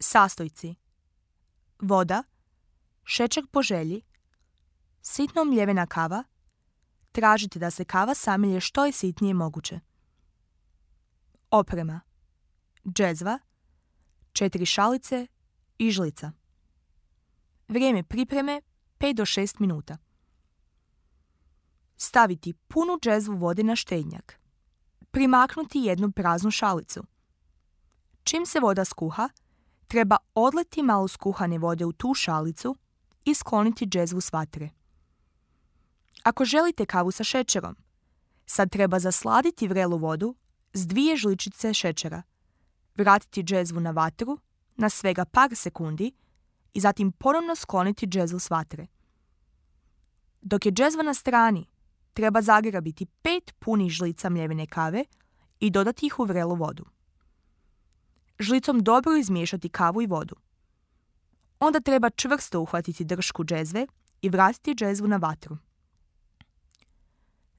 Sastojci: voda, šećer po želji, sitno mljevena kava. Tražite da se kava samilje što je sitnije moguće. Oprema: džezva, 4 šalice i žlica. Vrijeme pripreme 5 do 6 minuta. Staviti punu džezvu vode na štednjak. Primaknuti jednu praznu šalicu. Čim se voda skuha, treba odliti malo skuhane vode u tu šalicu i skloniti džezvu s vatre. Ako želite kavu sa šećerom, sad treba zasladiti vrelu vodu s 2 žličice šećera, vratiti džezvu na vatru na svega par sekundi i zatim ponovno skloniti džezvu s vatre. Dok je džezva na strani, treba zagrabiti 5 punih žlica mljevene kave i dodati ih u vrelu vodu. Žlicom dobro izmiješati kavu i vodu. Onda treba čvrsto uhvatiti dršku džezve i vratiti džezvu na vatru.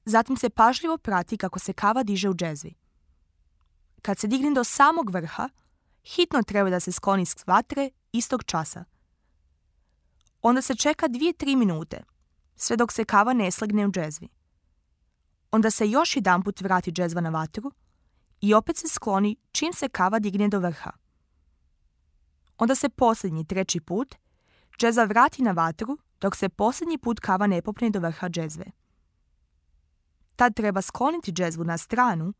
Zatim se pažljivo prati kako se kava diže u džezvi. Kad se digne do samog vrha, hitno treba da se skloni s vatre istog časa. Onda se čeka 2-3 minute, sve dok se kava ne slegne u džezvi. Onda se još jedanput vrati džezva na vatru i opet se skloni čim se kava digne do vrha. Onda se posljednji 3. put džezva vrati na vatru dok se posljednji put kava ne popne do vrha džezve. Tad treba skloniti džezvu na stranu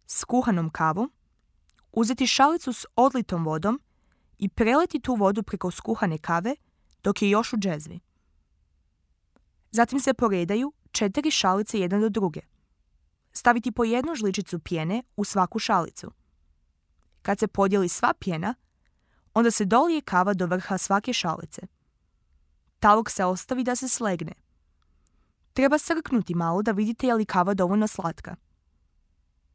s kuhanom kavom, uzeti šalicu s odlitom vodom i preliti tu vodu preko skuhane kave dok je još u džezvi. Zatim se poredaju 4 šalice jedna do druge. Staviti po 1 žličicu pjene u svaku šalicu. Kad se podijeli sva pjena, onda se dolije kava do vrha svake šalice. Talog se ostavi da se slegne. Treba srknuti malo da vidite je li kava dovoljno slatka.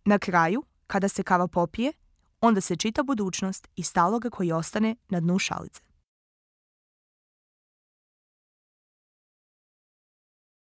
Na kraju, kada se kava popije, onda se čita budućnost iz taloga koji ostane na dnu šalice.